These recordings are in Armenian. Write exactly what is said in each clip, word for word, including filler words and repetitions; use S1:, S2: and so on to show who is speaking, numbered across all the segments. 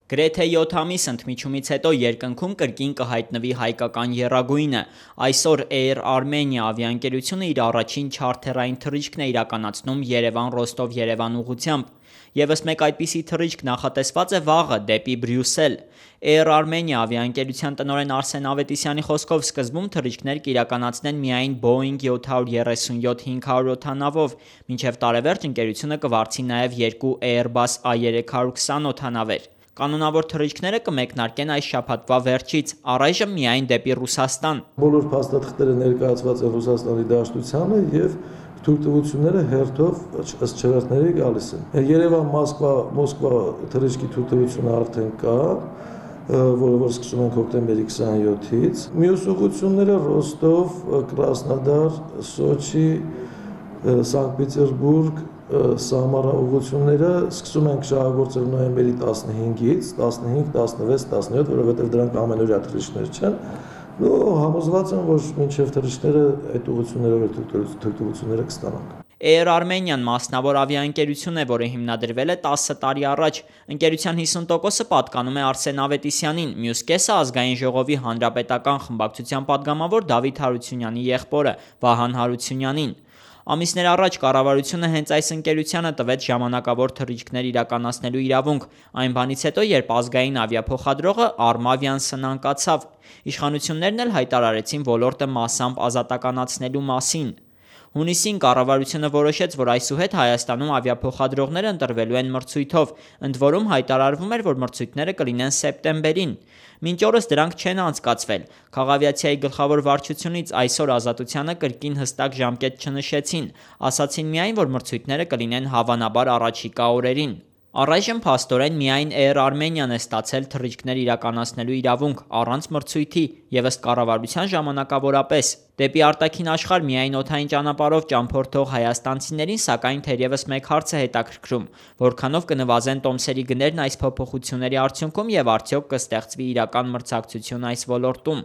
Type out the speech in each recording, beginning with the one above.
S1: Գրեթե յոթ ամիս ընդմիջումից հետո երկնքում կրկին կհայտնվի հայկական եռագույնը։ Այսօր Air Armenia ավիաընկերությունը իր առաջին չարթերային թռիչքն է իրականացնում Երևան-Ռոստով-Երևան ուղղությամբ։ Եվս մեկ այդպիսի թռիչք նախատեսված է վաղը դեպի Բրյուսել։ Air Armenia ավիաընկերության տնօրեն Արսեն Ավետիսյանի խոսքով սկզբում թռիչքներ կիրականացնեն միայն Boeing յոթ երեսունյոթ հինգ հարյուր օդանավով, մինչև տարեվերջ ընկերությունը կվարձի նաև երկու Airbus A երեք քսան օդանավեր։ Կանոնավոր թռիչքները կմեկնարկեն այս շաբաթվա վերջից, առայժմ միայն դեպի Ռուսաստան։
S2: Բոլոր փաստաթղթերը ներկայացված են Ռուսաստանի Դաշնությանը եւ թույլտվությունները հերթով ըստ չվերթների գալիս են։ Երևան-Մոսկվա Մոսկվա թռիչքի թույլտվությունը արդեն կա, որը որ սկսում ենք հոկտեմբերի քսանյոթից։ Մյուս ուղղությունները Ռոստով, Կրասնոդար, Սոչի, Սանկտ Պետերբուրգ, Սամարա ուղղությունները սկսում ենք շահագործել նոյեմբերի տասնհինգից, տասնհինգ, տասնվեց, տասնյոթ, որովհետև դրանք ամենօրյա թռիչքներ չեն։ Ու համոզված եմ, որ մինչև թռիչքները այդ ուղղություններով թույլտվությունները կստանանք։
S1: Air Armenian մասնավոր ավիաընկերություն է, որը հիմնադրվել է տասը տարի առաջ։ Ընկերության հիսուն տոկոսը պատկանում է Արսեն Ավետիսյանին, մյուս կեսը Ազգային ժողովի հանրապետական խմբակցության падգամավոր Դավիթ Հարությունյանի եղբորը Վահան Հարությունյանին։ Ամիսներ առաջ կառավարությունը հենց այս ընկերությանը տվեց ժամանակավոր թռիչքներ իրականացնելու իրավունք, այն բանից հետո, երբ ազգային ավիափոխադրողը Armavian սնանկացավ։ Իշխանություններն էլ հայտարարեցին ոլորտը մասամբ ազատականացնելու մասին։ Հունիսին կառավարությունը որոշեց, որ այսուհետ Հայաստանում ավիափոխադրողները ընտրվելու են մրցույթով, ընդ որում հայտարարվում էր, որ մրցույթները կլինեն սեպտեմբերին։ Մինչ օրս դրանք չեն անցկացվել։ Քաղավիացիայի գլխավոր վարչությունից այսօր Ազատությանը կրկին հստակ ժամկետ չնշեցին, ասացին միայն, որ մրցույթները կլինեն հավանաբար առաջիկա օրերին։ Առայժմ փաստորեն միայն Air Armenian է ստացել թռիչքներ իրականացնելու իրավունք առանց մրցույթի եւ ըստ կառավարության ժամանակավորապես։ Դեպի արտաքին աշխարհ միայն օդային ճանապարհով ճամփորդող հայաստանցիներին սակայն թերևս մեկ հարց է հետաքրքրում՝ որքանով կնվազեն տոմսերի գներն այս փոփոխությունների արդյունքում եւ արդյոք կստեղծվի իրական մրցակցություն այս ոլորտում։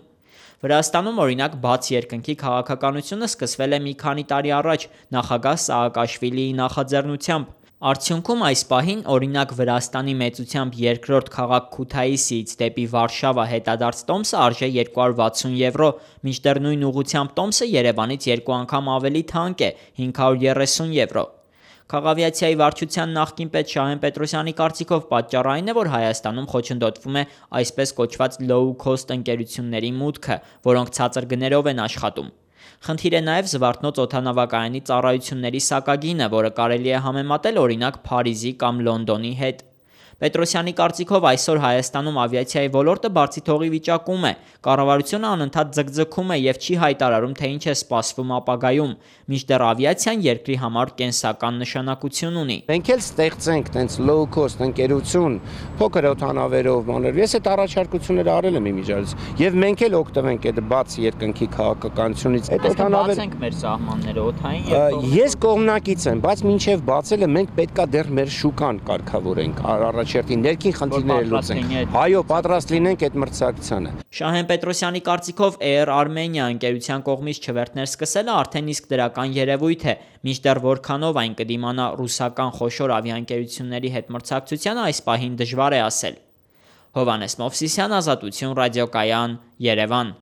S1: Վրաստանում օրինակ բաց երկնքի քաղաքականությունը սկսվել է մի քանի տարի առաջ նախագահ Սաակաշվիլիի նախաձեռնությամբ։ Արդյունքում այս պահին օրինակ Վրաստանի մեծությամբ երկրորդ քաղաք Քութայիսից դեպի Վարշավա հետադարձ տոմսը արժե երկու հարյուր վաթսուն եվրո, մինչդեռ նույն ուղղությամբ տոմսը Երևանից երկու անգամ ավելի թանկ է՝ հինգ հարյուր երեսուն եվրո։ Քաղավիացիայի վարչության նախկին պետ Շահեն Պետրոսյանի կարծիքով պատճառը այն է, որ Հայաստանում խոչընդոտվում է այսպես կոչված low cost ընկերությունների մուտքը, որոնք ցածր գներով են աշխատում։ Խնդիր է նաև Զվարթնոց օդանավակայանի ծառայությունների սակագինը, որը կարելի է համեմատել օրինակ Փարիզի կամ Լոնդոնի հետ։ Պետրոսյանի կարծիքով այսօր Հայաստանում ավիացիայի ոլորտը բարձի թողի վիճակում է, կառավարությունը անընդհատ ձգձգում է եւ չի հայտարարում, թե ինչ է սպասվում ապագայում, մինչդեռ ավիացիան երկրի համար կենսական նշանակություն ունի։
S3: Մենք էլ ստեղծենք տենց low cost ընկերություն, փոքր օդանավերով, մանր։ Ես այդ առաջարկությունները արել եմ իմիջիայլոց եւ մենք էլ օգտվենք այդ բաց երկնքի քաղաքականությունից։
S1: Այդ օդանավերը բացենք մեր սահմանները օդային եւ
S3: ես կողմնակից եմ, բայց մինչեւ բացելը մենք պետքա դեռ մեր շուկան կարգավորենք, առաջերտին ներքին խնդիրները լուծենք։ Այո, պատրաստ լինենք այդ մրցակցությանը։
S1: Շահեն Պետրոսյանի կարծիքով Air Armenia ընկերության կողմից չվերթներ սկսելը արդեն իսկ դրական երևույթ է, մինչդեռ որքանով այն կդիմանա ռուսական խոշոր ավիաընկերությունների հետ մրցակցությանը այս պահին դժվար է ասել։ Հովհաննես Մովսիսյան, Ազատություն ռադիոկայան, Երևան։